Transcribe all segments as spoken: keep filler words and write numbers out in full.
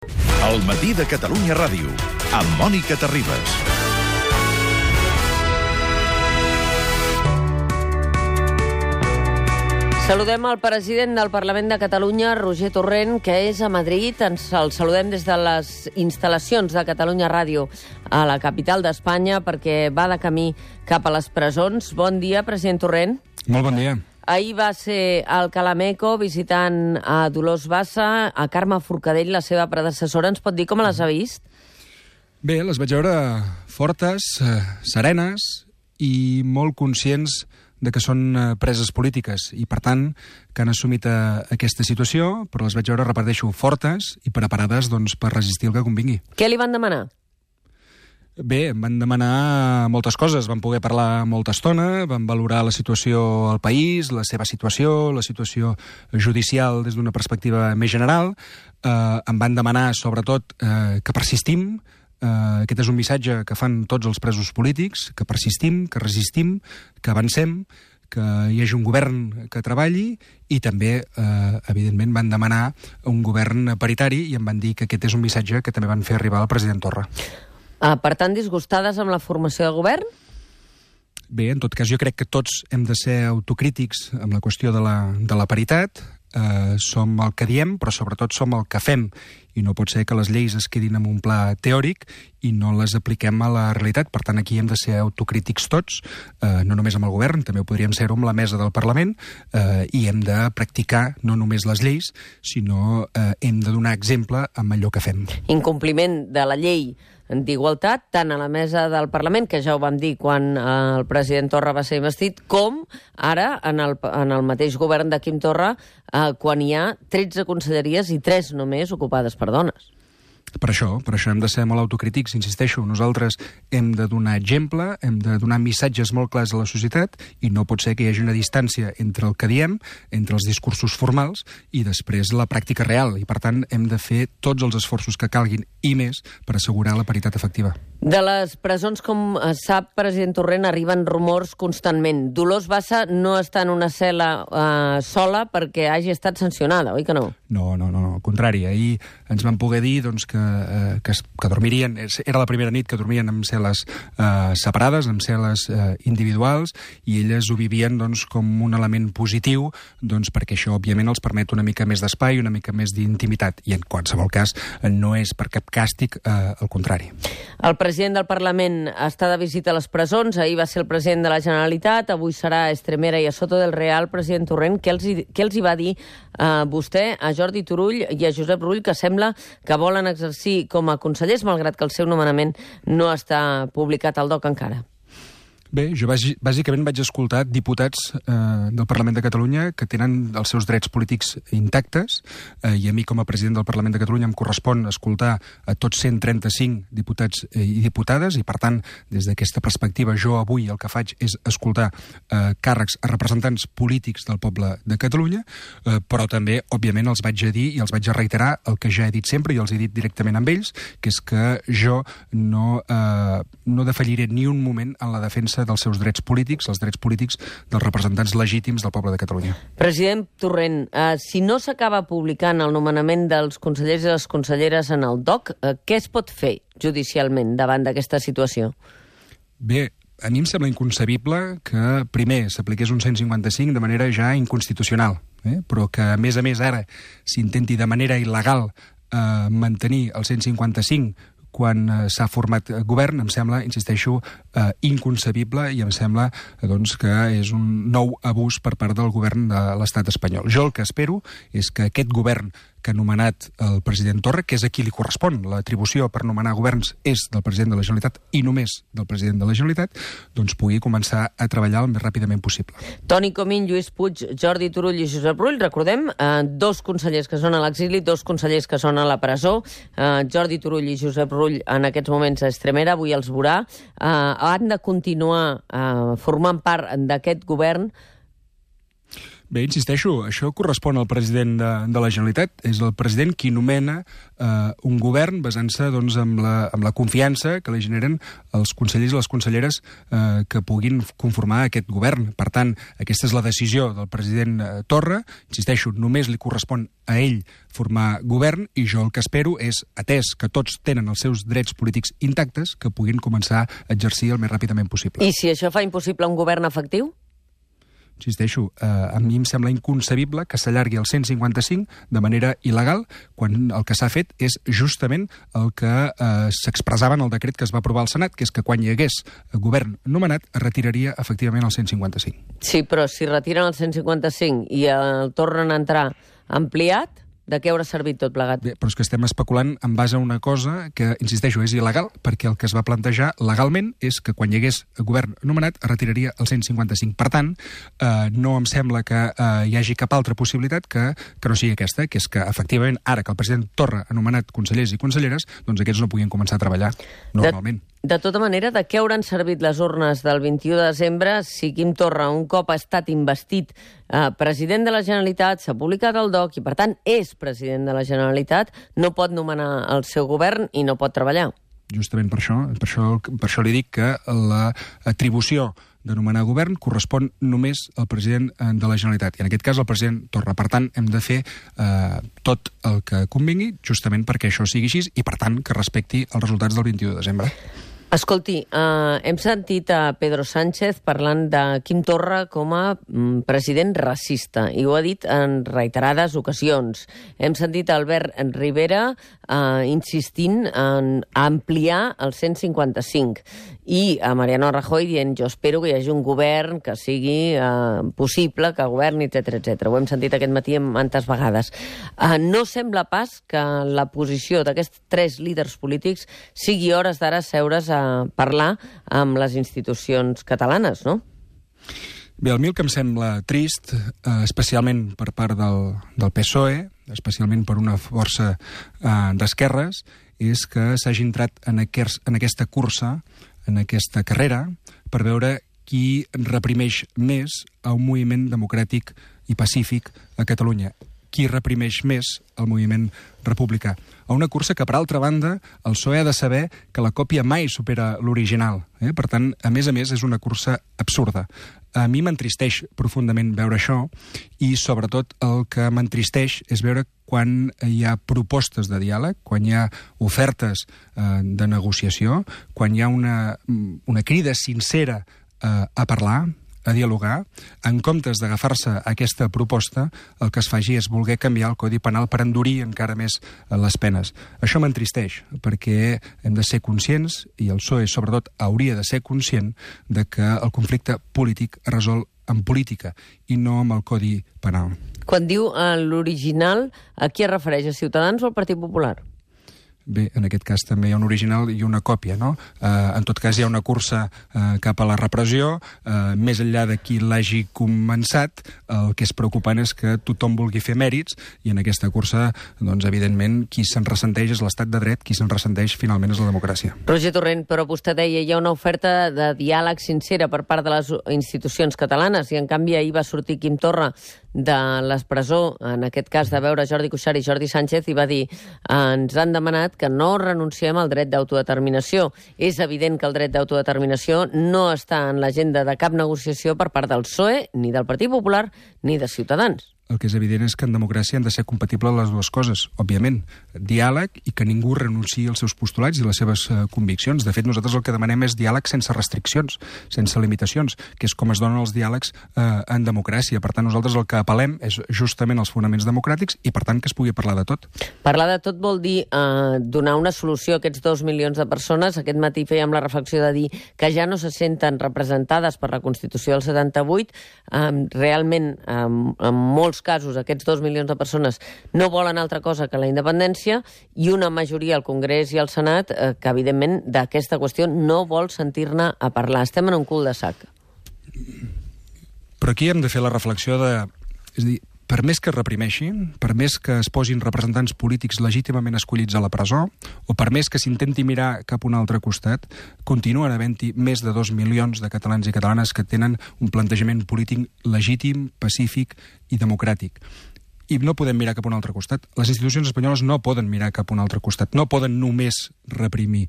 El matí de Catalunya Ràdio, amb Mònica Terribas. Saludem el president del Parlament de Catalunya, Roger Torrent, que és a Madrid. Ens el saludem des de les instal·lacions de Catalunya Ràdio a la capital d'Espanya, perquè va de camí cap a les presons. Bon dia, president Torrent. Molt bon dia. Ahir va ser al Calameco visitant a Dolors Bassa, a Carme Forcadell, la seva predecessora. Ens pot dir com les ha vist? Bé, les vaig veure fortes, eh, serenes i molt conscients de que són eh, preses polítiques i, per tant, que han assumit eh, aquesta situació, però les vaig veure, repeteixo, fortes i preparades doncs, per resistir el que convingui. Què li van demanar? Bé, em van demanar moltes coses, vam poder parlar molta estona, vam valorar la situació al país, la seva situació, la situació judicial des d'una perspectiva més general, eh, em van demanar, sobretot, eh, que persistim. Uh, aquest és un missatge que fan tots els presos polítics, que persistim, que resistim, que avancem, que hi hagi un govern que treballi i també, uh, evidentment, van demanar un govern paritari i em van dir que aquest és un missatge que també van fer arribar al president Torra. Uh, per tant, disgustades amb la formació de govern? Bé, en tot cas, jo crec que tots hem de ser autocrítics amb la qüestió de la, de la paritat. Uh, som el que diem, però sobretot som el que fem. I no pot ser que les lleis es quedin en un pla teòric i no les apliquem a la realitat. Per tant, aquí hem de ser autocrítics tots, uh, no només amb el govern, també ho podríem ser-ho amb la mesa del Parlament, uh, i hem de practicar no només les lleis, sinó uh, hem de donar exemple amb allò que fem. Incompliment de la llei d'igualtat, tant a la mesa del Parlament, que ja ho vam dir quan eh, el president Torra va ser investit, com ara en el, en el mateix govern de Quim Torra, eh, quan hi ha tretze conselleries i tres només ocupades per dones. Per això, per això hem de ser molt autocrítics, insisteixo, nosaltres hem de donar exemple, hem de donar missatges molt clars a la societat i no pot ser que hi hagi una distància entre el que diem, entre els discursos formals i després la pràctica real. I per tant hem de fer tots els esforços que calguin i més per assegurar la paritat efectiva. De les presons, com sap, president Torrent, arriben rumors constantment. Dolors Bassa no està en una cel·la eh, sola perquè hagi estat sancionada, oi que no? No, no, no, no, al contrari. Ahir ens van poder dir doncs, que, eh, que, que dormirien, era la primera nit que dormien en cel·les eh, separades, en cel·les eh, individuals, i elles ho vivien doncs, com un element positiu, doncs, perquè això, òbviament, els permet una mica més d'espai, una mica més d'intimitat, i en qualsevol cas no és per cap càstig, eh, al contrari. El president del Parlament està de visita a les presons, ahir va ser el president de la Generalitat, avui serà a Estremera i a Soto del Real. President Torrent, què els, hi, què els hi va dir eh, vostè a Jordi Turull i a Josep Rull, que sembla que volen exercir com a consellers, malgrat que el seu nomenament no està publicat al D O C encara? Bé, jo bàsicament vaig escoltar diputats eh, del Parlament de Catalunya que tenen els seus drets polítics intactes, eh, i a mi com a president del Parlament de Catalunya em correspon escoltar a tots cent trenta-cinc diputats eh, i diputades, i per tant, des d'aquesta perspectiva, jo avui el que faig és escoltar eh, càrrecs a representants polítics del poble de Catalunya, eh, però també, òbviament, els vaig a dir i els vaig a reiterar el que ja he dit sempre i els he dit directament amb ells, que és que jo no, eh, no defalliré ni un moment en la defensa dels seus drets polítics, els drets polítics dels representants legítims del poble de Catalunya. President Torrent, eh, si no s'acaba publicant el nomenament dels consellers i les conselleres en el D O C, eh, què es pot fer judicialment davant d'aquesta situació? Bé, a mi em sembla inconcebible que, primer, s'apliqués un cent cinquanta-cinc de manera ja inconstitucional, eh? però que, a més a més, ara s'intenti de manera il·legal eh, mantenir el cent cinquanta-cinc quan eh, s'ha format govern, em sembla, insisteixo, eh, inconcebible, i em sembla eh, doncs, que és un nou abús per part del govern de l'estat espanyol. Jo el que espero és que aquest govern que ha nomenat el president Torra, que és a qui li correspon l'atribució per nomenar governs és del president de la Generalitat i només del president de la Generalitat, doncs pugui començar a treballar el més ràpidament possible. Toni Comín, Lluís Puig, Jordi Turull i Josep Rull, recordem, eh, dos consellers que són a l'exili, dos consellers que són a la presó, eh, Jordi Turull i Josep Rull en aquests moments a Estremera, avui els veurà, eh, han de continuar eh, formant part d'aquest govern. Bé, insisteixo, això correspon al president de, de la Generalitat. És el president qui nomena eh, un govern basant-se doncs, amb, la, amb la confiança que li generen els consellers i les conselleres eh, que puguin conformar aquest govern. Per tant, aquesta és la decisió del president eh, Torra. Insisteixo, només li correspon a ell formar govern i jo el que espero és, atès que tots tenen els seus drets polítics intactes, que puguin començar a exercir el més ràpidament possible. I si això fa impossible un govern efectiu? Insisteixo, eh, a mi em sembla inconcebible que s'allargui el cent cinquanta-cinc de manera il·legal, quan el que s'ha fet és justament el que eh, s'expressava en el decret que es va aprovar al Senat, que és que quan hi hagués govern nomenat es retiraria efectivament el cent cinquanta-cinc. Sí, però si retiren el cent cinquanta-cinc i el tornen a entrar ampliat, de què haurà servit tot plegat? Bé, però és que estem especulant en base a una cosa que, insisteixo, és il·legal, perquè el que es va plantejar legalment és que quan hi hagués govern nomenat es retiraria el cent cinquanta-cinc. Per tant, eh, no em sembla que eh, hi hagi cap altra possibilitat que, que no sigui aquesta, que és que, efectivament, ara que el president Torra ha nomenat consellers i conselleres, doncs aquests no puguin començar a treballar normalment. De, de tota manera, de què hauran servit les urnes del vint-i-u de desembre si Quim Torra, un cop ha estat investit eh, president de la Generalitat, s'ha publicat el doc i, per tant, és president de la Generalitat, no pot nomenar el seu govern i no pot treballar? Justament per això, per això, per això li dic que l'atribució de nomenar govern correspon només al president de la Generalitat, i en aquest cas al president Torra. Per tant, hem de fer eh, tot el que convingui, justament perquè això sigui així, i per tant que respecti els resultats del vint-i-u de desembre. Escolti, eh, hem sentit a Pedro Sánchez parlant de Quim Torra com a mm, president racista, i ho ha dit en reiterades ocasions. Hem sentit a Albert Rivera eh, insistint en ampliar el cent cinquanta-cinc, i a Mariano Rajoy dient jo espero que hi hagi un govern que sigui eh, possible, que governi, etcètera, etcètera. Ho hem sentit aquest matí tantes vegades. Eh, no sembla pas que la posició d'aquests tres líders polítics sigui hores d'ara seure's a parlar amb les institucions catalanes, no? Bé, a mi el que em sembla trist, eh, especialment per part del, del P S O E, especialment per una força eh, d'esquerres, és que s'hagi entrat en, aquest, en aquesta cursa, en aquesta carrera, per veure qui reprimeix més a un moviment democràtic i pacífic a Catalunya. Qui reprimeix més el moviment republicà. A una cursa que, per altra banda, el P S O E ha de saber que la còpia mai supera l'original. Eh? Per tant, a més a més, és una cursa absurda. A mi m'entristeix profundament veure això, i sobretot el que m'entristeix és veure quan hi ha propostes de diàleg, quan hi ha ofertes eh, de negociació, quan hi ha una, una crida sincera eh, a parlar, a dialogar, en comptes d'agafar-se a aquesta proposta, el que es faci és voler canviar el Codi Penal per endurir encara més les penes. Això m'entristeix, perquè hem de ser conscients, i el P S O E sobretot hauria de ser conscient, de que el conflicte polític es resol en política i no amb el Codi Penal. Quan diu eh, l'original, a qui es refereix? A Ciutadans o al Partit Popular? Bé, en aquest cas també hi ha un original i una còpia, no? Eh, en tot cas hi ha una cursa eh, cap a la repressió, eh, més enllà de qui l'hagi començat, el que és preocupant és que tothom vulgui fer mèrits, i en aquesta cursa, doncs, evidentment, qui se'n ressenteix és l'estat de dret, qui se'n ressenteix finalment és la democràcia. Roger Torrent, però vostè deia hi ha una oferta de diàleg sincera per part de les institucions catalanes, i en canvi ahir va sortir Quim Torra de l'expresó, en aquest cas de veure Jordi Cuixart i Jordi Sánchez, i va dir ens han demanat que no renunciem al dret d'autodeterminació. És evident que el dret d'autodeterminació no està en l'agenda de cap negociació per part del P S O E, ni del Partit Popular, ni de Ciutadans. El que és evident és que en democràcia han de ser compatibles les dues coses, òbviament. Diàleg i que ningú renunciï als seus postulats i les seves uh, conviccions. De fet, nosaltres el que demanem és diàleg sense restriccions, sense limitacions, que és com es donen els diàlegs uh, en democràcia. Per tant, nosaltres el que apel·lem és justament als fonaments democràtics i, per tant, que es pugui parlar de tot. Parlar de tot vol dir uh, donar una solució a aquests dos milions de persones. Aquest matí fèiem la reflexió de dir que ja no se senten representades per la Constitució del setanta-vuit. Um, realment, um, en molts casos, aquests dos milions de persones no volen altra cosa que la independència, i una majoria al Congrés i al Senat eh, que, evidentment, d'aquesta qüestió no vol sentir-ne a parlar. Estem en un cul de sac. Però aquí hem de fer la reflexió de... És a dir, per més que es reprimeixin, per més que es posin representants polítics legítimament escollits a la presó, o per més que s'intenti mirar cap a un altre costat, continuen havent-hi més de dos milions de catalans i catalanes que tenen un plantejament polític legítim, pacífic i democràtic. I no podem mirar cap a un altre costat. Les institucions espanyoles no poden mirar cap a un altre costat, no poden només reprimir.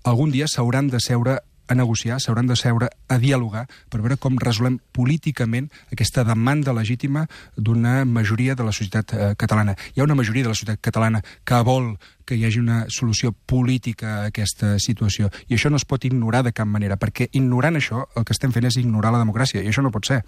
Algun dia s'hauran de seure a negociar, s'hauran de seure a dialogar per veure com resolem políticament aquesta demanda legítima d'una majoria de la societat eh, catalana. Hi ha una majoria de la societat catalana que vol que hi hagi una solució política a aquesta situació. I això no es pot ignorar de cap manera, perquè ignorant això el que estem fent és ignorar la democràcia, i això no pot ser.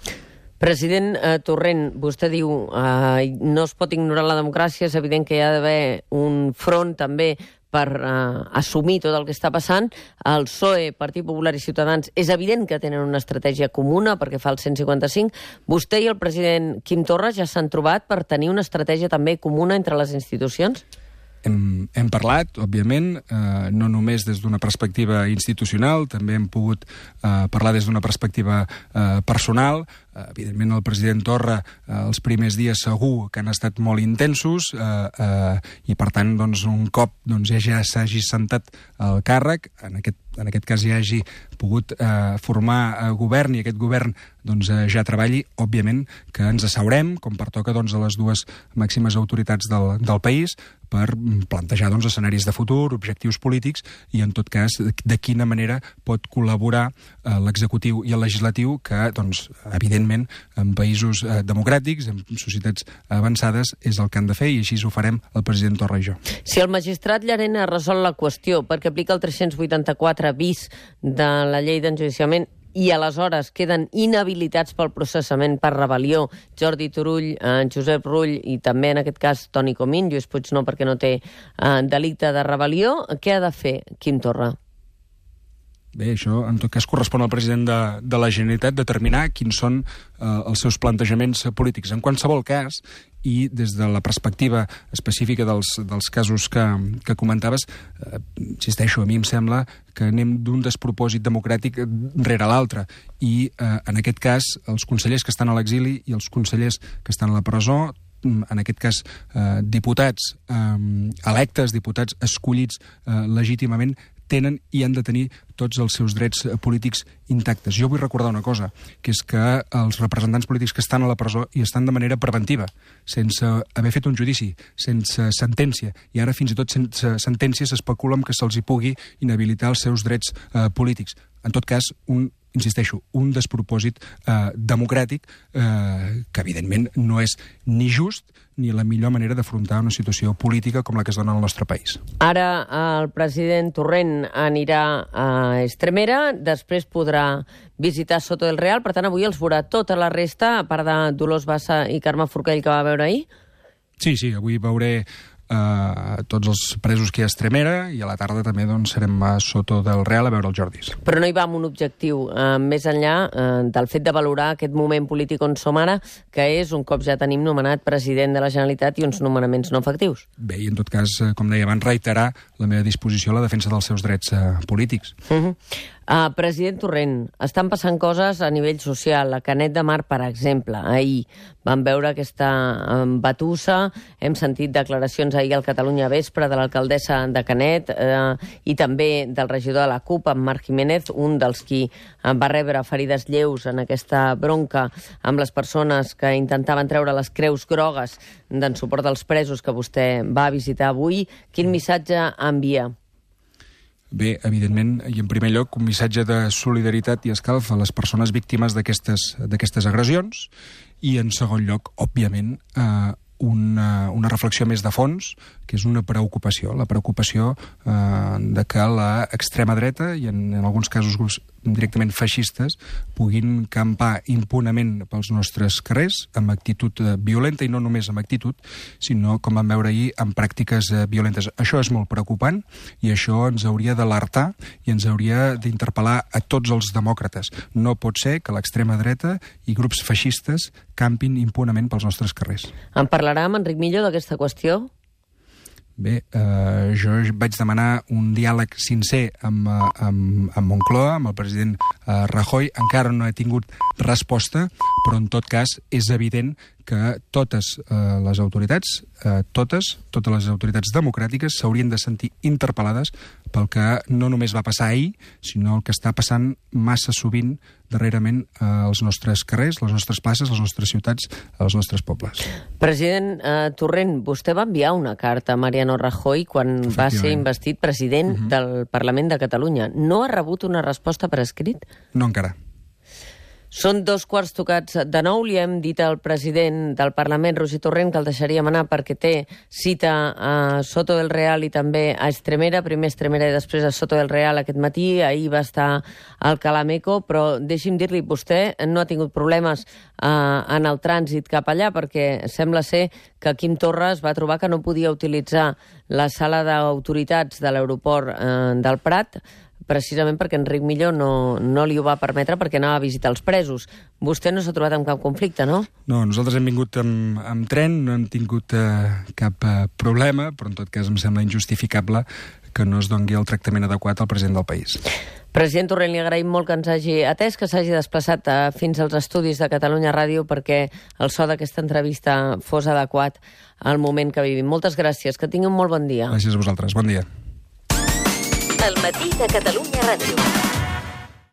President eh, Torrent, vostè diu eh, no es pot ignorar la democràcia, és evident que hi ha d'haver un front també per eh, assumir tot el que està passant. El P S O E, Partit Popular i Ciutadans, és evident que tenen una estratègia comuna perquè fa el cent cinquanta-cinc. Vostè i el president Quim Torra ja s'han trobat per tenir una estratègia també comuna entre les institucions? Hem, hem parlat, òbviament, eh, no només des d'una perspectiva institucional, també hem pogut eh, parlar des d'una perspectiva eh, personal. Eh, evidentment, el president Torra, eh, els primers dies segur que han estat molt intensos eh, eh, i, per tant, doncs, un cop doncs, ja s'hagi sentat al càrrec, en aquest, en aquest cas ja hagi pogut eh, formar eh, govern i aquest govern doncs, eh, ja treballi, òbviament que ens asseurem, com pertoca doncs, a les dues màximes autoritats del, del país, per plantejar doncs, escenaris de futur, objectius polítics i, en tot cas, de, de quina manera pot col·laborar eh, l'executiu i el legislatiu que, doncs, evidentment, en països eh, democràtics, en societats avançades, és el que han de fer i així ho farem el president Torra i jo. Si el magistrat Llarena resol la qüestió perquè aplica el tres-cents vuitanta-quatre bis de la llei d'enjudiciament i aleshores queden inhabilitats pel processament per rebel·lió Jordi Turull, eh, Josep Rull i també, en aquest cas, Toni Comín, Lluís Puig no, perquè no té eh, delicte de rebel·lió, què ha de fer Quim Torra? Bé, això en tot cas correspon al president de, de la Generalitat determinar quins són eh, els seus plantejaments polítics. En qualsevol cas, i des de la perspectiva específica dels, dels casos que, que comentaves, eh, insisteixo, a mi em sembla que anem d'un despropòsit democràtic rere l'altre. I eh, en aquest cas, els consellers que estan a l'exili i els consellers que estan a la presó, en aquest cas eh, diputats eh, electes, diputats escollits eh, legítimament, tenen i han de tenir tots els seus drets polítics intactes. Jo vull recordar una cosa, que és que els representants polítics que estan a la presó hi estan de manera preventiva, sense haver fet un judici, sense sentència, i ara fins i tot sense sentència s'especula amb que se'ls hi pugui inhabilitar els seus drets eh, polítics. En tot cas, un insisteixo, un despropòsit eh, democràtic eh, que, evidentment, no és ni just ni la millor manera d'afrontar una situació política com la que es dona al nostre país. Ara el president Torrent anirà a Estremera, després podrà visitar Soto del Real, per tant, avui els veurà tota la resta, a part de Dolors Bassa i Carme Forcadell, que va veure ahir? Sí, sí, avui veuré Uh, tots els presos que hi ha a Estremera i a la tarda també doncs, serem a Soto del Real a veure els Jordis. Però no hi va amb un objectiu uh, més enllà uh, del fet de valorar aquest moment polític on som ara, que és un cop ja tenim nomenat president de la Generalitat i uns nomenaments no efectius. Bé, i en tot cas, com deia abans, reiterar la meva disposició a la defensa dels seus drets uh, polítics. Uh-huh. Uh, president Torrent, estan passant coses a nivell social. A Canet de Mar, per exemple, ahir vam veure aquesta um, batussa, hem sentit declaracions ahir al Catalunya Vespre de l'alcaldessa de Canet eh, i també del regidor de la CUP, en Marc Jiménez, un dels qui va rebre ferides lleus en aquesta bronca amb les persones que intentaven treure les creus grogues d'en suport als presos que vostè va visitar avui. Quin missatge envia? Bé, evidentment, i en primer lloc, un missatge de solidaritat i escalf a les persones víctimes d'aquestes d'aquestes agressions i, en segon lloc, òbviament, eh, una, una reflexió més de fons, que és una preocupació, la preocupació eh, de que l'extrema dreta, i en, en alguns casos grups directament feixistes, puguin campar impunament pels nostres carrers, amb actitud eh, violenta, i no només amb actitud, sinó, com vam veure ahir, amb pràctiques eh, violentes. Això és molt preocupant, i això ens hauria d'alertar i ens hauria d'interpel·lar a tots els demòcrates. No pot ser que l'extrema dreta i grups feixistes campin impunament pels nostres carrers. En parlarà amb Enric Millo d'aquesta qüestió? Bé, eh, jo vaig demanar un diàleg sincer amb, amb, amb Moncloa, amb el president eh, Rajoy. Encara no he tingut resposta, però en tot cas és evident que totes eh, les autoritats, eh, totes, totes les autoritats democràtiques s'haurien de sentir interpel·lades pel que no només va passar ahir, sinó el que està passant massa sovint darrerament als nostres carrers, les nostres places, les nostres ciutats, als nostres pobles. President eh, Torrent, vostè va enviar una carta a Mariano Rajoy quan va ser investit president uh-huh. del Parlament de Catalunya. No ha rebut una resposta per escrit? No encara. Són dos quarts tocats de nou. Li hem dit al president del Parlament, Roger Torrent, que el deixaríem anar perquè té cita a Soto del Real i també a Estremera. Primer a Estremera i després a Soto del Real aquest matí. Ahir va estar al Calameco, però deixi'm dir-li, vostè no ha tingut problemes eh, en el trànsit cap allà perquè sembla ser que Quim Torra va trobar que no podia utilitzar la sala d'autoritats de l'aeroport eh, del Prat, precisament perquè Enric Millo no, no li ho va permetre perquè anava a visitar els presos. Vostè no s'ha trobat amb cap conflicte, no? No, nosaltres hem vingut amb, amb tren, no hem tingut eh, cap eh, problema, però en tot cas em sembla injustificable que no es doni el tractament adequat al president del país. President Torrent, li agraïm molt que ens hagi atès, que s'hagi desplaçat eh, fins als estudis de Catalunya Ràdio perquè el so d'aquesta entrevista fos adequat al moment que vivim. Moltes gràcies, que tingui un molt bon dia. Gràcies a vosaltres, bon dia. El matí de Catalunya Ràdio.